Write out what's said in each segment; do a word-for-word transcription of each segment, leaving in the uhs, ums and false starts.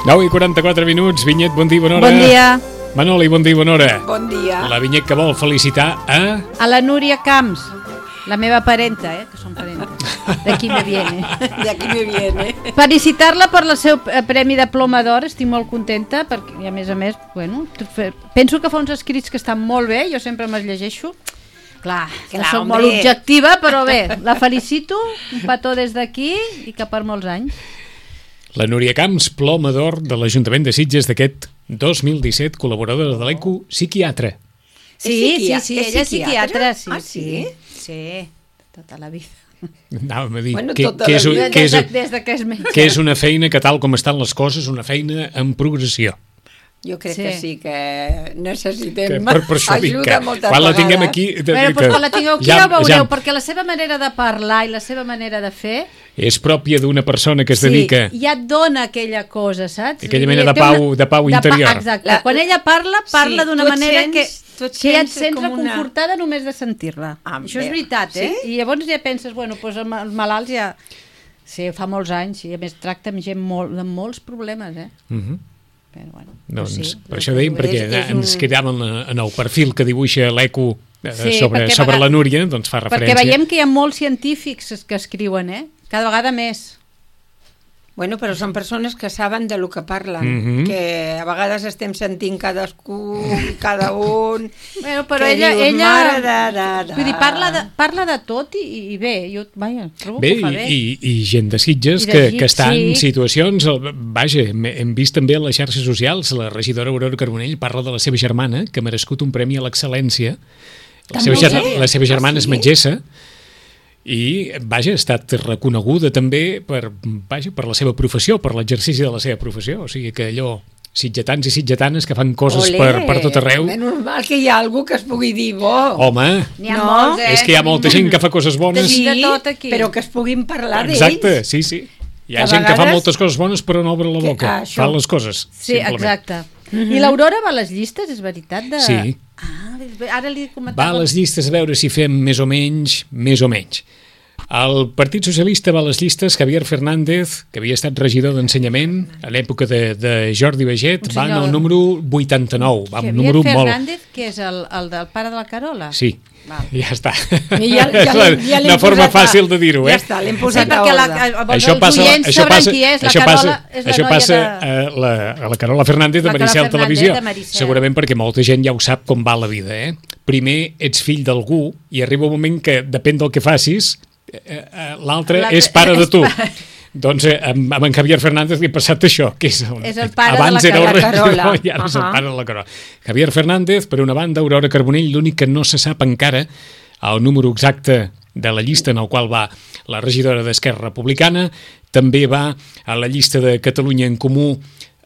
nou i quaranta-quatre minuts, Vinyet, bon dia, bona hora. Bon dia. Manoli, bon dia, bona hora. Bon dia. La Vinyet que vol felicitar a... A la Núria Camps, la meva parenta, eh, que són parentes. D'aquí me viene. D'aquí me viene. Felicitar-la per el seu premi de Ploma d'Or, estic molt contenta, perquè, i a més a més, bueno, penso que fa uns escrits que estan molt bé, jo sempre me'ls llegeixo. Clar, que Clar, soc hombre. molt objectiva, però bé, la felicito, un petó des d'aquí i que per molts anys. La Núria Camps, Ploma d'Or de l'Ajuntament de Sitges d'aquest dos mil disset, col·laboradora de l'E Q U, psiquiatra. Sí, sí, psiquiatra? sí, És ella és psiquiatra, psiquiatra? sí, Ah, sí? sí, sí, tota la vida. Anàvem a dir Bueno, que, tota que, la és, vida. que, és, Des de, des de que és metge. que és una feina que, tal com estan les coses, una feina en progressió. Jo crec Sí. que sí, que necessitem Que per, per això dic ajuda que moltes quan la vegades. tinguem aquí... de- Bueno, que doncs quan la tingueu aquí ja- ja ho veureu, ja perquè la seva manera de parlar i la seva manera de fer... és pròpia d'una persona que es sí, dedica... ja et dona aquella cosa, saps? Aquella Vull mena dir, de té pau- de pau interior. Pa, exacte. La- Quan ella parla, parla Sí, d'una tu et manera sents- que, tu et que ja et sents sents com una- reconfortada només de sentir-la. Ah, Això és bé. veritat, eh? Sí? I llavors ja penses, bueno, doncs amb els malalts ja... Sí, fa molts anys, i a més tracta amb gent molt, amb molts problemes, eh? Mhm. Però bueno, Doncs sí, per això dèiem, és- perquè és ens un- quedàvem en, en el perfil que dibuixa l'E Q U eh, Sí, sobre, perquè sobre vega- la Núria, doncs fa perquè referència. veiem que hi ha molts científics que escriuen, eh? Cada vegada més. Bueno, però són persones que saben de lo que parlen, Mhm. que a vegades estem sentint cadascú, cada un... Bueno, però que ella, dius, ella "Mare de, de, de". vull dir, parla de, parla de tot i, i bé, jo vaja, trobo Bé, que ho fa bé. i, i gent de Sitges I de que, Sitges, que està en sí. situacions... Vaja, hem, hem vist també a les xarxes socials, la regidora Aurora Carbonell parla de la seva germana, que ha merescut un premi a l'excel·lència. La seva, També? ger la seva germana Ah, és sí? metgessa, i, vaja, ha estat reconeguda també per, vaja, per la seva professió, per l'exercici de la seva professió. O sigui que allò, sitgetans i sitgetanes que fan coses Olé, per, per tot arreu... És normal que hi ha algú que es pugui dir bo. Home, N'hi ha No, molts, eh? és que hi ha molta gent que fa coses bones. Sí, de tot aquí. però que es puguin parlar d'ells. Exacte, sí, sí. Hi ha A gent que fa vegades- moltes coses bones però no obre la Que- boca. ah, això. Fa les coses, Sí, simplement. exacte. I l'Aurora va a les llistes, és veritat? De... Sí. Ah, ara li Va comentava... a les llistes a veure si fem més o menys, més o menys. El Partit Socialista va a les llistes Javier Fernández, que havia estat regidor d'Ensenyament a l'època de, de Jordi Baget, Un va en senyor- el número vuitanta-nou, va un Javier número molt... Fernández, que és el, el del pare de la Carola? Sí, Val. ja està. I ja, ja, És la- l'hem- ja l'hem una forma posat a- fàcil de dir-ho, eh? Ja està, l'hem Sí, posat a perquè la, ordre. els Això passa, oients això sabran passa, qui és, la això Carola passa, és la això noia passa de... a, la, a la Carola Fernández de La Carola Maricel Fernández Televisió, de Maricel. segurament perquè molta gent ja ho sap com va la vida, eh? Primer ets fill d'algú i arriba un moment que depèn del que facis, eh, eh, l'altre L'altre és pare de és tu. pare. Doncs eh, amb, amb en Javier Fernández li ha passat això, que és, un, És el pare de abans la era el Carola. regidor i ara és el Ahà. pare de la Carola. Javier Fernández, per una banda, Aurora Carbonell, l'únic que no se sap encara el número exacte de la llista en el qual va la regidora d'Esquerra Republicana, també va a la llista de Catalunya en Comú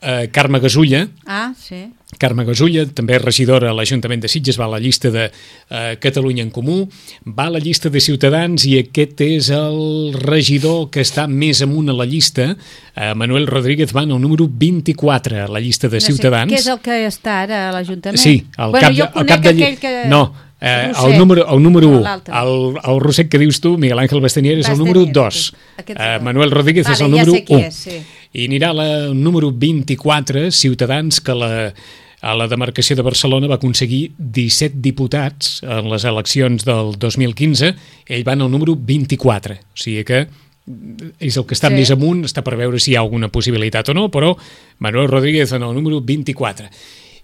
eh, Carme Gasulla. Ah, sí. Carme Gasulla, també regidora a l'Ajuntament de Sitges, va a la llista de eh, Catalunya en Comú, va a la llista de Ciutadans i aquest és el regidor que està més amunt a la llista. Eh, Manuel Rodríguez va en el número vint-i-quatre a la llista de No sé, Ciutadans. què és el que està ara a l'Ajuntament? Sí, al bueno, cap, jo de, al conec cap de... aquell que... No, eh, Roser. el número, el número O u, l'altre. el, el Roser que dius tu, Miguel Ángel Bastanier, és el Bastanier, número dos. aquest- aquest Eh, dos. Manuel Rodríguez Vale, és el ja número sé qui u. és, sí. I anirà a la número vint-i-quatre, Ciutadans, que la, a la demarcació de Barcelona va aconseguir disset diputats en les eleccions del dos mil quinze. Ell va en el número vint-i-quatre. O sigui que és el que està Sí. més amunt, està per veure si hi ha alguna possibilitat o no, però Manuel Rodríguez en el número vint-i-quatre.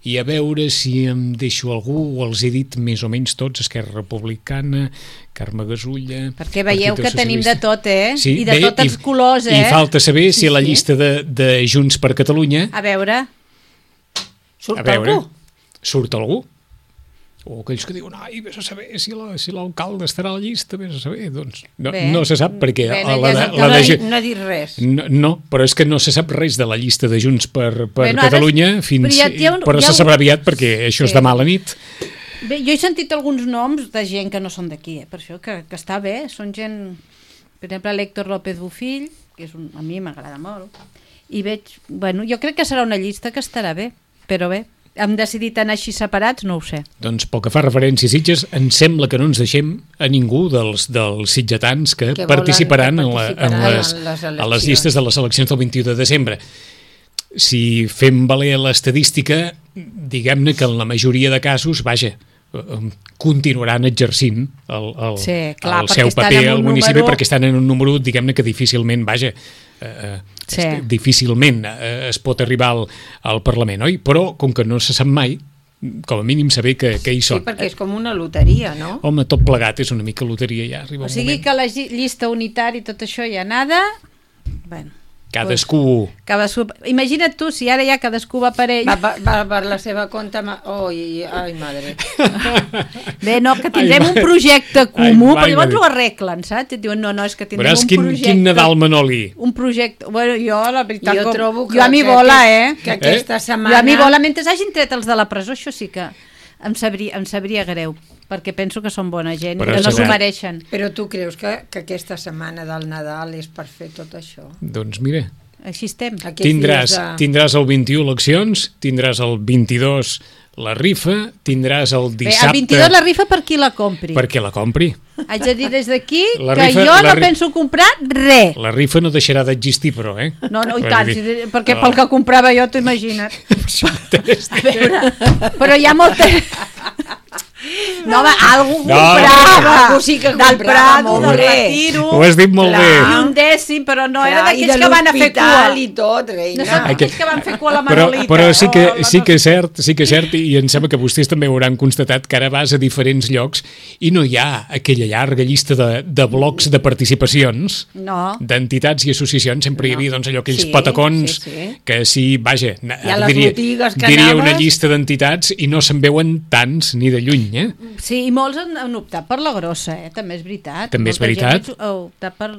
I a veure si em deixo algú, o els he dit més o menys tots: Esquerra Republicana, Carme Gasulla... Perquè veieu Partit que tenim de Socialista. tot, eh? Sí, I de bé, tots els i- colors, eh? I falta saber Sí, si a la sí. llista de, de Junts per Catalunya, A veure... Surt a veure, algú? surt algú. O aquells que diuen, ai, vés a saber si la- si l'alcalde estarà a la llista, vés a saber. Doncs no, Bé. no se sap, perquè Bé, a no la, hi de, ha- la No, de, ha, Ju- no ha dit res. no, no, però és que no se sap res de la llista de Junts per, per Bueno, ara- Catalunya, fins, però ja- ja un- però ja se un- sabrà aviat, perquè això és Sí. demà a la nit. Bé, jo he sentit alguns noms de gent que no són d'aquí, eh? Per això que, que està bé, són gent... Per exemple, l'Héctor López Bufill, que és un, a mi m'agrada molt, i veig... Bueno, jo crec que serà una llista que estarà bé, però bé, hem decidit anar així separats, no ho sé. Doncs pel que fa referència a Sitges, em sembla que no ens deixem a ningú dels, dels sitgetans que, Que volen participaran, que en, la, en, participaran les, en les a les eleccions. llistes de les eleccions del vint-i-u de desembre. Si fem valer l'estadística, diguem-ne que en la majoria de casos, vaja, eh, continuaran exercint el, el, Sí, clar, el perquè seu estan paper en un al municipi, número- perquè estan en un número, diguem-ne, que difícilment, vaja, eh, Sí. est- difícilment eh, es pot arribar al, al Parlament, oi? Però, com que no se sap mai, com a mínim saber que, que hi Sí, són. perquè és com una loteria, no? Home, tot plegat és una mica loteria, ja arriba O un sigui moment. que la lli- llista unitària i tot això ja nada... Bueno, Cadascú... cadascú... Imagina't tu, si ara ja cadascú va per ell... Va, va, va per la seva compte... Ma... Oi, ai, madre. Bé, no, que Ai, tindrem un mare. projecte comú, Ai, però mare llavors meva. ho arreglen, saps? Et diuen, no, no, és que tindrem Veuràs un quin, projecte... quin Nadal Manoli. Un projecte... Bueno, jo, la veritat... Jo com- trobo que... Jo a mi que vola, aquest- eh? Que aquesta Eh? setmana... Jo a mi vola, mentre hagin tret els de la presó, això sí que em sabria, em sabria greu, perquè penso que són bona gent Però i que no s'ho serà- mereixen. Però tu creus que, que aquesta setmana del Nadal és per fer tot això? Doncs mira, Així estem. Aquests tindràs, dies de- tindràs el vint-i-u eleccions, tindràs el vint-i-dos la rifa, tindràs el Bé, dissabte... el vint-i-dos la rifa per qui la compri. Perquè la compri. Haig de dir des d'aquí La que rifa- jo la no ri- penso comprar res. La rifa no deixarà d'existir, però, eh? No, no, i Vull tant, dir, si, perquè no. pel que comprava jo, t'ho imagina't. Tens- A veure, però hi ha molta... No, home, algú No, comprava. algú sí que del comprava Prado, molt del bé. Retiro, Ho has dit molt Clar. bé. i un dècim, però no era Clar, i d'aquells de que van a fer cua. l'hospital i tot, No reina. són Ai, que- aquells que van fer cua a la Però, Manolita. però sí que, o la sí no que és sé. cert, sí que és cert, i em sembla que vostès també hauran constatat que ara vas a diferents llocs i no hi ha aquella llarga llista de, de blocs de participacions No. d'entitats i associacions. Sempre hi havia doncs, allò, aquells Sí, patacons sí, sí. que sí, vaja, I a les diria, botigues que diria una anaves- llista d'entitats i no se'n veuen tants ni de lluny, eh? Sí, i molts han, han optat per la grossa, eh? També és veritat. També és Molta gent veritat. Ha optat per...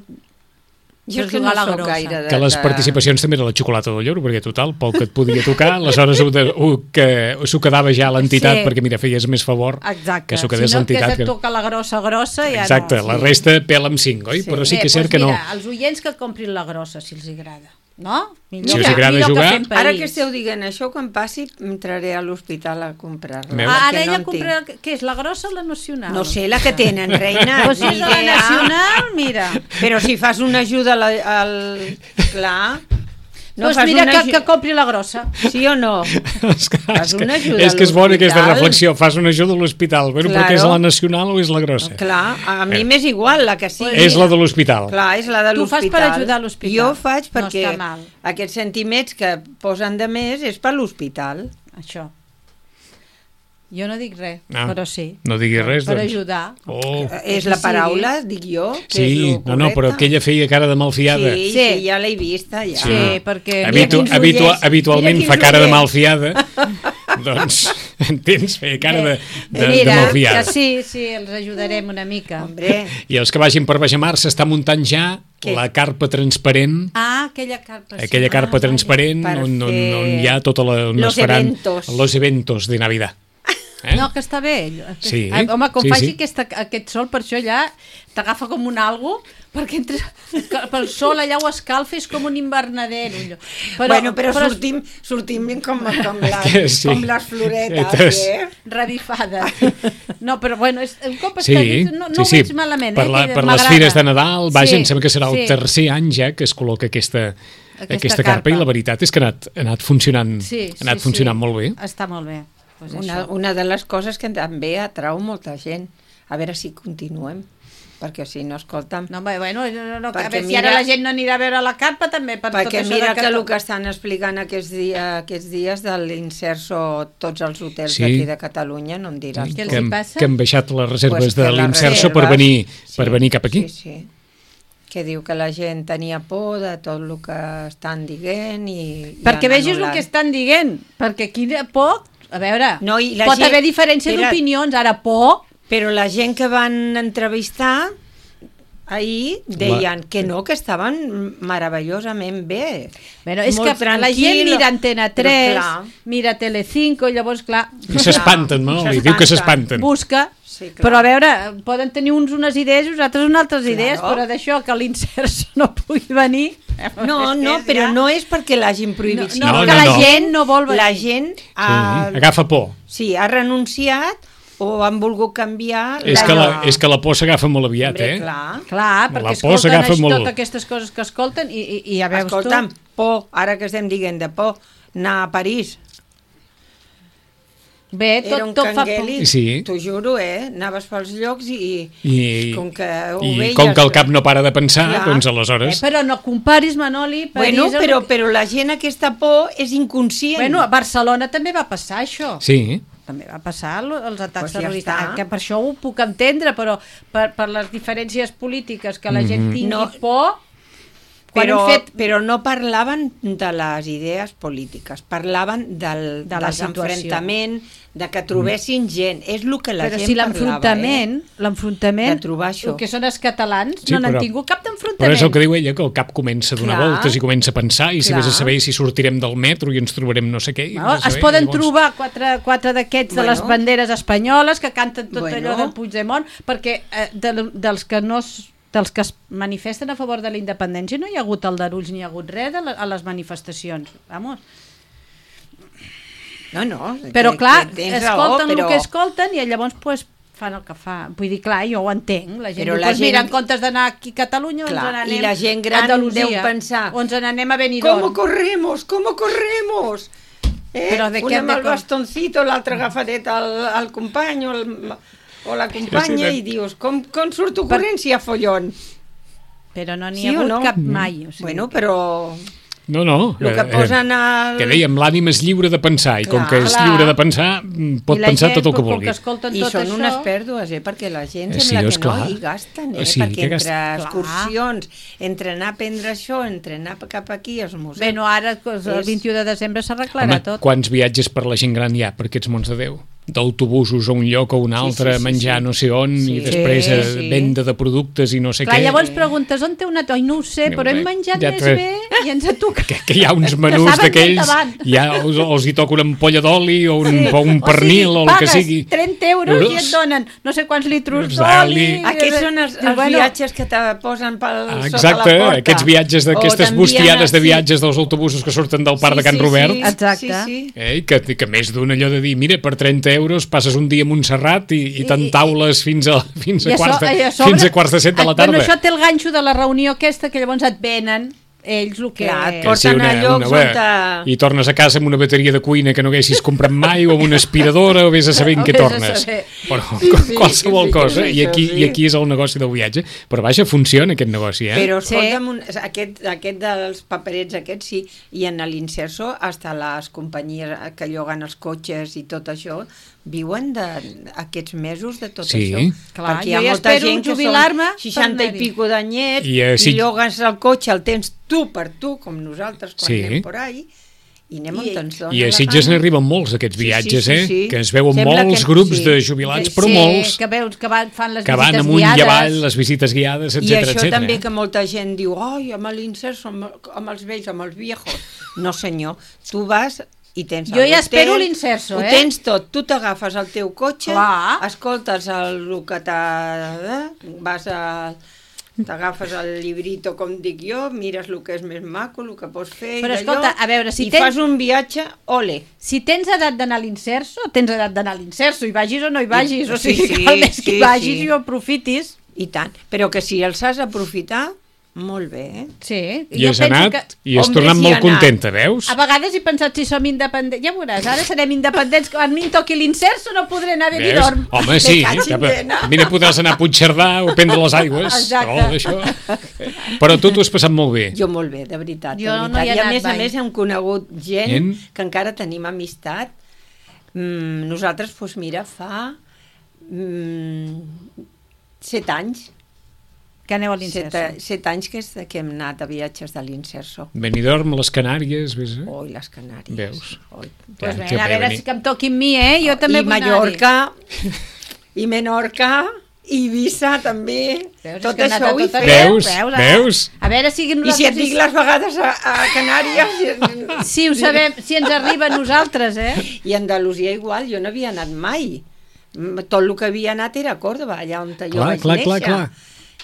Jo és per que no jugar a la soc grossa. gaire de... Que les de- participacions també era la xocolata del lloro, perquè total, pel que et podia tocar, aleshores ho, de, ho, que s'ho quedava ja l'entitat, Sí. perquè mira, feies més favor Exacte. que s'ho Si quedés no, que l'entitat. se't toca la grossa, grossa, ja Exacte, no. la resta pela amb cinc, oi? Però sí Bé, que és cert doncs que no. mira, els oients que comprin la grossa, si els agrada. No? Millor, Si us que- agrada millor jugar- Que fem Ara país. que esteu dient això, quan passi, entraré a l'hospital a comprar-la. Veus? Ah, perquè ara ella en compra... tinc. Què és, la grossa o la nacional? No sé, la que tenen, reina. Doncs si ni és de la idea. nacional, mira. Però si fas una ajuda al... al... Clar... No doncs fas mira una que, aju- que compri la grossa. Sí o no? És que, Fas és que, una ajuda és, que és a bona aquesta l'hospital. reflexió. Fas una ajuda a l'hospital. Bueno, però què és Claro. la nacional o és la grossa? Clar, a mi Eh. m'és igual la que sigui. És la de l'hospital. Clar, és la de Tu fas l'hospital. per ajudar a l'hospital. Jo ho faig No perquè està mal. aquests sentiments que posen de més és per l'hospital. Això. Jo no dic res, Ah, però sí. no diguis res, Per doncs. ajudar. Oh. És la paraula, dic jo, que és Sí, lo no, no, però correcte. que ella feia cara de malfiada. Sí, Sí. sí, ja l'he vista, ja. Sí, perquè... Habitu, quins habitu, ullets, habitualment mira fa quins cara de ullets. malfiada. Doncs, entens? Feia cara de, de, de Mira, malfiada. que sí, sí, els ajudarem una mica. Hombre, I els que vagin per Bajamar s'està muntant ja Què? la carpa transparent, Ah, aquella carpa. sí. aquella carpa Ah, transparent vale. on, on, Per on hi ha tota la... on los es faran eventos. los eventos de Navidad. Eh? No, que està bé. Sí, Ah, home, com sí, faci sí. Aquesta, aquest sol, per això ja t'agafa com un algo, perquè entres, pel sol allà ho escalfa, és com un invernadero. Allò. Però, bueno, però, però sortim, sortim com, com, les, Sí. com les floretes, Entonces- eh? Revifades. No, però bueno, és, un cop Sí, està dit, no, no sí, ho sí. veig malament. Per, eh, la, que per les m'agrada. fires de Nadal, vaja, Sí, em sembla que serà el sí. tercer any ja que es col·loca aquesta, aquesta, Aquesta carpa. carpa. I la veritat és que ha anat, ha anat funcionant, Sí, ha anat sí, funcionant sí. molt bé. Està molt bé. Pues Una, això. una de les coses que també atrau molta gent. A veure si continuem, perquè si no, escolta'm... No, home, bueno, no, no, a Perquè veure, si mira- ara la gent no anirà a veure la carpa, també, per tot Perquè això mira de que el que estan explicant aquests, dia, aquests dies de l'Inserso, tots els hotels Sí. d'aquí de Catalunya, no em diràs. Què els que, hi hem, passa? que hem baixat les reserves Pues de que les l'Inserso per reserves- venir, sí, per venir cap aquí. Sí, sí. Que diu que la gent tenia por de tot el que estan dient i... i Perquè han vegis el anul·lat. que estan dient, perquè aquí de por, a veure, No, i la pot gent- haver diferència Era- d'opinions, ara por, Però la gent que van entrevistar ahir deien que no, que estaven meravellosament bé. bueno, és Molt que la gent tranquil, mira Antena però tres, clar. mira Telecinco, i llavors, clar, I s'espanten, no? Li diu que s'espanten. busca, Sí, clar. però a veure, poden tenir uns unes idees i uns altres unes altres Claro. idees, però d'això que l'Inserso no pugui venir... No, no, és però ja- no és perquè l'hagin prohibit. No, no, no, no, que la no. gent no vol venir. La gent Sí, ha, agafa por. sí, ha renunciat o han volgut canviar... És que, la, és que la por s'agafa molt aviat, Hombre, eh? clar. Clar, La perquè por escolten s'agafa això, molt. totes aquestes coses que escolten i, i, i ja veus Escolta'm, tu... por, ara que estem dient de por, anar a París. Bé, Era tot, un tot fa por. cangueli, Sí. t'ho juro, eh? Anaves pels llocs i, I, com que ho i veies... com que el cap no para de pensar, Clar. doncs Eh, aleshores... però no comparis, Manoli, París... Bueno, amb- però, però la gent aquesta por és inconscient. Bueno, a Barcelona també va passar això. Sí, També va passar lo- els atacs Pues ja terroristes. està. Que per això ho puc entendre, però per, per les diferències polítiques que la gent Mhm. tingui No. por... Quan però, hem fet... però no parlaven de les idees polítiques, parlaven del, De la del situació. enfrontament, de que trobessin gent. És el que la Però gent si parlava, l'enfrontament, eh? l'enfrontament, De trobar això. el que són els catalans, Sí, no n'han però- tingut cap però d'enfrontament. és el que diu ella, que el cap comença a donar Clar. voltes i comença a pensar, i si Clar. vés a saber si sortirem del metro i ens trobarem no sé què... i No, vés a es saber, poden llavors- trobar quatre, quatre d'aquests de Bueno. les banderes espanyoles que canten tot Bueno. allò del Puigdemont, perquè eh, de, dels que no es, dels que es manifesten a favor de la independència no hi ha hagut aldarulls ni hi ha hagut res de la, a les manifestacions. Vamos. No, no. Però que- clar, que tens escolten raó, però... el que escolten i llavors pues, fan el que fa. Vull dir, clar, jo ho entenc. La gent Però diu, la pues, mira, gent- en comptes d'anar aquí a Catalunya, Clar, ens n'anem i la gent gran a Andalusia, deu pensar, o ens n'anem a Benidorm. ¿Cómo corremos? ¿Cómo corremos? Eh? Però de Un què amb de el cor- bastoncito, l'altre agafadet al, al company o, el, o la companya Sí, sí, i dius, com, com surto corrent si hi ha follon? Però no n'hi Sí ha o hagut no? cap mai. O sigui, Bueno, però No, no. el que eh, posen al... Que dèiem, l'ànim és lliure de pensar, i com Clar. que és Clar. lliure de pensar, mm, pot I la pensar gent, tot el que com vulgui. que escolten I tot són això, unes pèrdues, eh? Perquè la gent Eh, sí, sembla és que no clar. hi gasten, eh? Sí, perquè que entre gasten. excursions, entre anar a prendre això, entre anar cap aquí als museus... Bé, no, ara pues, el És- vint-i-u de desembre s'arreglarà Home, tot. quants viatges per la gent gran hi ha per aquests mons de Déu? D'autobusos a un lloc o un altre, sí, sí, menjar sí. no sé on, Sí, i després sí, eh, sí. venda de productes i no sé Clar, què. llavors preguntes on té una toia? No ho sé, però hem menjat Ja més te- bé i ens ha tocat. Que, que hi ha uns Que menús saben d'aquells, endavant. ja els, els hi toca una ampolla d'oli o un, Sí. o un pernil o, el que pagues sigui. trenta euros i et Euros. donen no sé quants litros Doncs d'oli. d'oli. Aquests són els, Dius, els bueno, viatges que te posen pel, Ah, sota exacte, la porta. aquests viatges O d'aquestes t'envien bustiades de així. viatges dels autobusos que surten del parc de Can Robert. Sí, Exacte. Sí, sí. Eh, que, que més d'un allò de dir, mira, per trenta euros passes un dia a Montserrat i, i I- t'entaules fins a, fins, I a a quarts so- de, i a sobre- fins a quarts de set de la et- tarda. Bueno, això té el ganxo de la reunió aquesta, que llavors et venen ells el que... Clar, et Que porten a llocs bé, on te- I tornes a casa amb una bateria de cuina que no haguessis comprat mai, o amb una aspiradora, o vés a saber en O què vés a tornes. saber. Però Sí, sí, qualsevol sí, cosa, és i aquí, això, sí. i aquí és el negoci del viatge. Però vaja, funciona aquest negoci, eh? Però Sí. escolta'm, un, aquest, aquest dels paperets aquests sí, i en l'Inserso hasta les companyies que lloguen els cotxes i tot això viuen d'aquests mesos de tot Sí. això. Clar, perquè hi ha jo ja molta espero gent que jubilar-me són seixanta per i anar-hi. pico d'anyets I, i, eh, si- i llogues el cotxe, el tens tu per tu, com nosaltres quan Sí. anem por ahí, I anem on ens dona I a la Sitges gana. n'arriben molts d'aquests Sí, sí, viatges, sí, eh? sí. Que es veuen Sembla molts que- grups sí. de jubilats, però sí, molts que veus que van, fan les que van visites amunt i guiades. avall, les visites guiades, I etcètera, això etcètera. també que molta gent diu, oi, amb l'Inserso, amb, amb els vells, amb els viejos. No, senyor, tu vas i tens Jo el ja hotel, espero l'Inserso, eh? Ho tens tot, tu t'agafes el teu cotxe, Clar. escoltes el, el que t'ha... vas a... t'agafes el llibrito, com dic jo, mires el que és més maco, el que pots fer Però i d'allò, escolta, a veure, si i tens- fas un viatge, ole. Si tens edat d'anar a l'Inserso, tens edat d'anar a l'Inserso, i vagis o no hi vagis, I- o sigui, sí, sí, que el més que sí, hi vagis sí. i ho aprofitis. I tant, però que si els has d'aprofitar, molt bé, eh? Sí. I jo has penso anat que- i has Hombre, tornat sí, molt he anat. contenta, veus? A vegades he pensat si som independents. Ja veuràs, ara serem independents. Quan a mi em toqui l'Inserso no podré anar a Veus? Benidorm. Home, sí, caig que, en nena. a mi no podràs anar a Puigcerdà o prendre les aigües. Exacte. Oh, això. Però tu t'ho has passat molt bé. Jo molt bé, de veritat. Jo de no veritat. hi he I a anat més a mai. més hem conegut gent Gent? que encara tenim amistat. Mm, nosaltres, doncs mira, fa mm, set anys, Que aneu a set, l'Inserso. set anys que, és, que hem anat a viatges de l'Inserso. Benidorm, les Canàries, ves? Eh? Oi, les Canàries. Veus? Oi. Pues Ja, bé, que a bé veure venir. si que em toqui amb mi, eh? Jo també I vull Mallorca, i Menorca, i Eivissa també. Veus, tot és que he anat això a ho he tot fet. arreu. Veus? ara. Veus? A veure si I si et nosaltres... dic les vegades a, a Canàries... Si ho sabem, si ens arriba a nosaltres, eh? I a Andalusia igual, jo no havia anat mai. Mm, Tot el que havia anat era a Còrdoba, allà on jo Clar, vaig clar, néixer. clar, clar.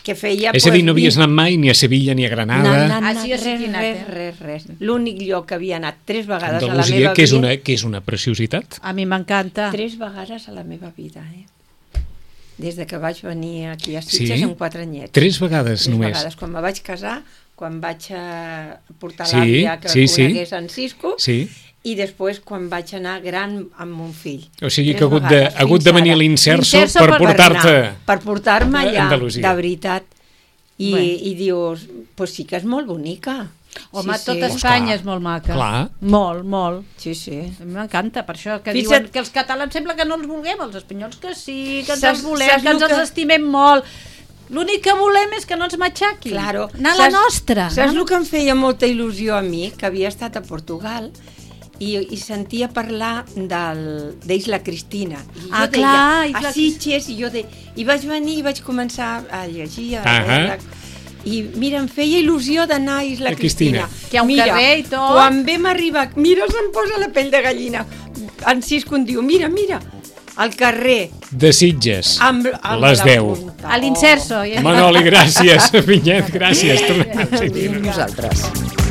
Que feia, És a dir, no pues, havies anat mai ni a Sevilla ni a Granada. Na, na, Ah, na, sí, jo sí res, que he anat, res, eh? res, res. L'únic lloc que havia anat tres vegades a la Andalusia, meva que és, vida... una, que és una preciositat. A mi m'encanta. Tres vegades a la meva vida, eh? Des de que vaig venir aquí a Sitges Sí? amb quatre anyets. Tres vegades Tres només. vegades. Quan me vaig casar, quan vaig a portar Sí, l'àvia que sí, sí. conegués en Cisco, Sí. i després quan vaig anar gran amb mon fill. O sigui Tres que ha hagut de, vegades, ha hagut fins de venir a ara. l'Inserso L'Inserso per per portar-te... anar, per portar-me a allà, Andalusia. de veritat. I, Bueno. i dius, pues sí que és molt bonica. Home, sí, tota sí. Espanya clar. és molt maca. Clar. Molt, molt. Sí, sí. A mi m'encanta, per això, que Fixa't- diuen que els catalans sembla que no els vulguem, els espanyols que sí, que ens Saps- els volem, saps que ens lo els que- estimem molt. L'únic que volem és que no ens matxaquin. Claro. Anar a la nostra. Saps anar- el que em feia molta il·lusió a mi? Que havia estat a Portugal i, i sentia parlar del- d'Isla Cristina. I jo Ah, deia, clar, Isla a Sitges, i jo de, i vaig venir i vaig començar a llegir, a Ahà. veure, i mira, em feia il·lusió d'anar a Isla A Cristina. Cristina. Que hi ha un mira, carrer i tot. Quan vam arribar, mira, se'm posa la pell de gallina. En Cisco em diu, mira, mira, al carrer, De Sitges, amb, amb les la deu. punta. A l'Inserso. Ja. Manoli, gràcies. Vinyet, gràcies. Tornem a seguir. Nosaltres.